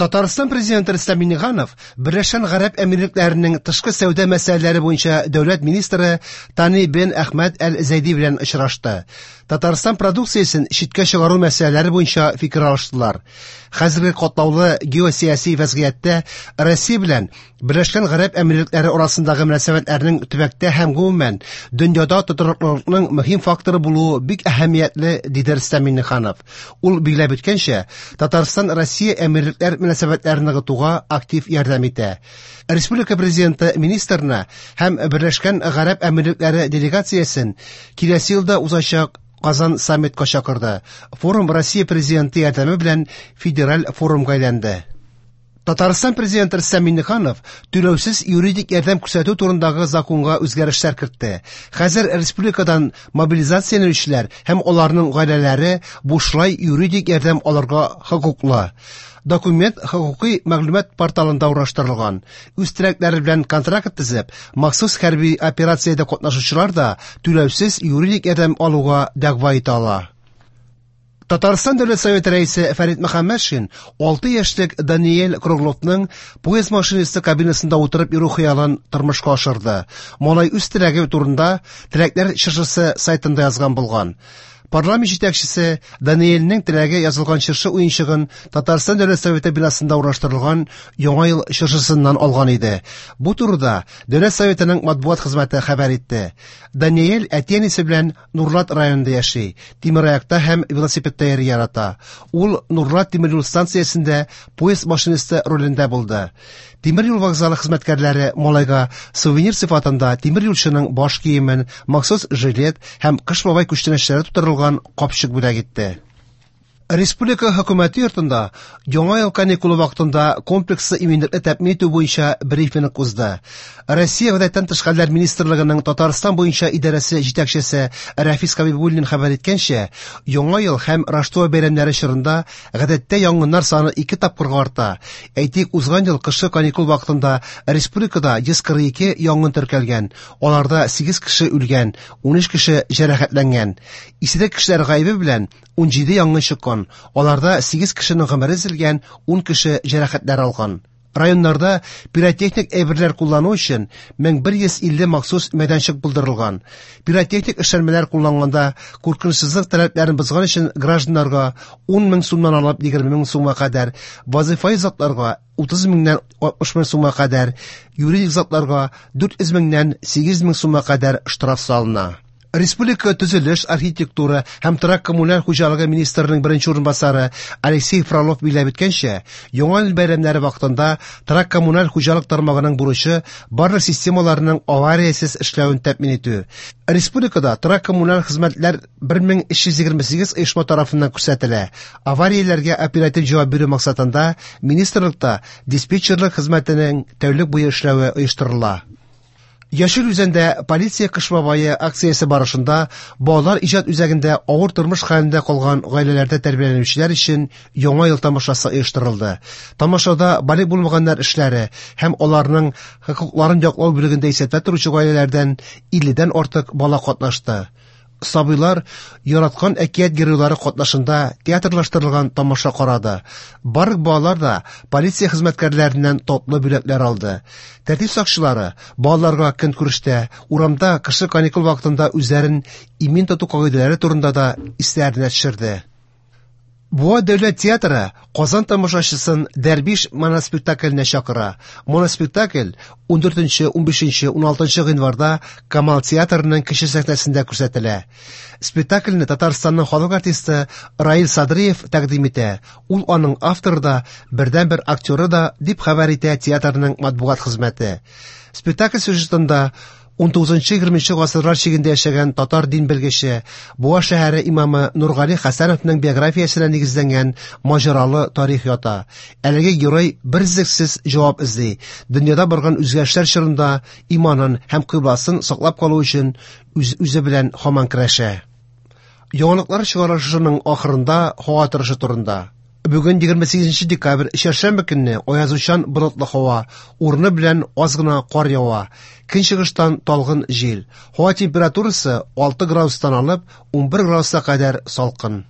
Татарстан Президенты Рөстәм Миңнеханов Берләшкән Гарәп Әмирлекләренең тышкы сәүдә мәсьәләләре буенча дәүләт министры Тани бен Әхмәд Әл-Зәйди белән очрашты. Татарстан продукциясен читкә чыгару мәсьәләләре буенча фикер алыштылар. Хәзерге катлаулы геосәяси вәзгыятьтә Россия белән Берләшкән Гарәп Әмирлекләре арасындагы мөнәсәбәтләрнең төбәктә һәм гомумән дөньяда тотрыклылыкның мөһим факторы булуы бик әһәмиятле, диде Рөстәм Миңнеханов. Ул билгеләп үткәнчә, Татарстан Россия Әмирлекләр мөнәсәбәтләрен ныгытуга актив ярдәм итә. Республика Президенты министрны һәм Берләшкән Гарәп Әмирлекләре делегациясен киләсе елда узачак Казан саммитка чакырды. Форум Россия Президенты ярдәме белән федераль форумга әйләнде. Татарстан Президенты Рөстәм Миңнеханов түләүсез юридик ярдәм күрсәтү турындагы законга үзгәрешләр кертте. Хәзер республикадан мобилизацияләнүчеләр һәм аларның гаиләләре бушлай юридик ярдәм алырга хокуклы. Документ хокукый мәгълүмат порталында урнаштырылган. Үз теләкләре белән контракт төзеп, махсус хәрби операциядә катнашучылар да түләүсез юридик ярдәм алуга дәгъва итә ала. Татарстан Дәүләт Советы рәисе Фәрит Мөхәммәтшин 6 яшьлек Даниэль Кругловның поезд машинисты кабинасында утырып йөрү хыялын тормышка ашырды. Малай үз теләге турында Теләкләр чыршысы сайтында язган булган. Парламент җитәкчесе Даниэльнең теләге язылган чыршы уенчыгын Татарстан Дәүләт Советы бинасында урнаштырылган Яңа ел чыршысыннан алган иде. Бу турыда Дәүләт Советының матбугат хезмәте хәбәр итте. Даниэль әти-әнисе белән Нурлат районында яши, тимераякта һәм велосипедта йөрергә ярата. Ул Нурлат тимер юл станциясендә поезд машинисты ролендә булды. Тимер юл вокзалы хезмәткәрләре малайга сувенир сыйфатында тимер юлчының баш киемен, махсус жилет һәм Кыш бабай күчтәнәчләре тутырылган капчык бүләк итте. Республика Хөкүмәте йортында Яңа ел каникулы вакытында комплекслы иминлекне тәэмин итү буенча брифинг узды. Россия Гадәттән тыш хәлләр министрлыгының Татарстан буенча идарәсе җитәкчесе Рәфис Хәбибуллин хәбәр иткәнчә, Яңа ел һәм Раштуа бәйрәмнәре чорында гадәттә янгыннар саны ике тапкырга арта. Әйтик, узган ел кышкы каникул вакытында республикада 142 янгын теркәлгән, аларда 8 кеше үлгән, 13 кеше җәрәхәтләнгән. Исерек кешеләр гаебе белән 17 янгын чыккан, аларда 8 кешенең гомере өзелгән, 10 кеше җәрәхәтләр алган. Районнарда пиротехник әйберләр куллану өчен 1150 махсус мәйданчык булдырылган. Пиротехник эшләнмәләр кулланганда куркынычсызлык таләпләрен бозган өчен гражданнарга 10 мең сумнан алып 20 мең сумга кадәр, вазыйфаи затларга 30 меңнән 60 мең сумга кадәр, юридик затларга 400 меңнән 800 мең сумга кадәр штраф салына. Республика төзелеш, архитектура һәм торак-коммуналь хуҗалыгы министрының беренче урынбасары Алексей Фролов билгеләп үткәнчә, Яңа ел бәйрәмнәре вакытында торак-коммуналь хуҗалык тармагының бурычы барлык системаларның авариясез эшләвен тәэмин итү. Республикада торак-коммуналь хезмәтләр 1328 оешма тарафыннан күрсәтелә. Аварияләргә оператив җавап бирү максатында министрлыкта диспетчерлык хезмәтенең тәүлек буе эшләве оештырыла. Яшел Үзәндә полиция Кыш бабае акциясе барышында балалар иҗат үзәгендә авыр тормыш хәлендә калган гаиләләрдә тәрбияләнүчеләр өчен Яңа ел тамашасы оештырылды. Тамашада балигъ булмаганнар эшләре һәм аларның хокукларын яклау бүлегендә исәптә торучы гаиләләрдән 50дән артык бала катнашты. Сабыйлар яраткан әкият геройлары катнашында театрлаштырылган тамаша карады. Барлык балалар да полиция хезмәткәрләреннән татлы бүләкләр алды. Тәртип сакчылары балаларга көнкүрештә, урамда кышкы каникул вакытында үзләрен имин тоту кагыйдәләре турында да исләренә төшерде. Буа дәүләт театры Казан тамашачысын Дәрбиш моноспектакленә чакыра. Моноспектакль 14, 15, 16 гыйнварда Камал театрының кече сәхнәсендә күрсәтелә. Спектакльне Татарстанның халык артисты Раил Садриев тәкъдим итә. Ул аның авторы да, бердәнбер актеры да, дип хәбәр итә театрның матбугат хезмәте. Спектакль сюжетында 19-20 гасырлар чигендә яшәгән татар дин белгече, Буа шәһәре имамы Нургали Хәсәновның биографиясенә нигезләнгән маҗаралы тарих ята. Әлеге герой берөзлексез җавап эзли, дөньяда барган үзгәрешләр чорында иманын һәм кыйбласын саклап калу өчен үз-үзе белән һаман көрәшә. Яңалыклар чыгарылышының ахырында һава торышы турында. Бүген 28 декабрь, чәршәмбе көнне аязучан болытлы һава, урыны белән аз гына кар ява. Көнчыгыштан талгын җил. Һава температурасы 6 градустан алып 11 градуска кадәр салкын.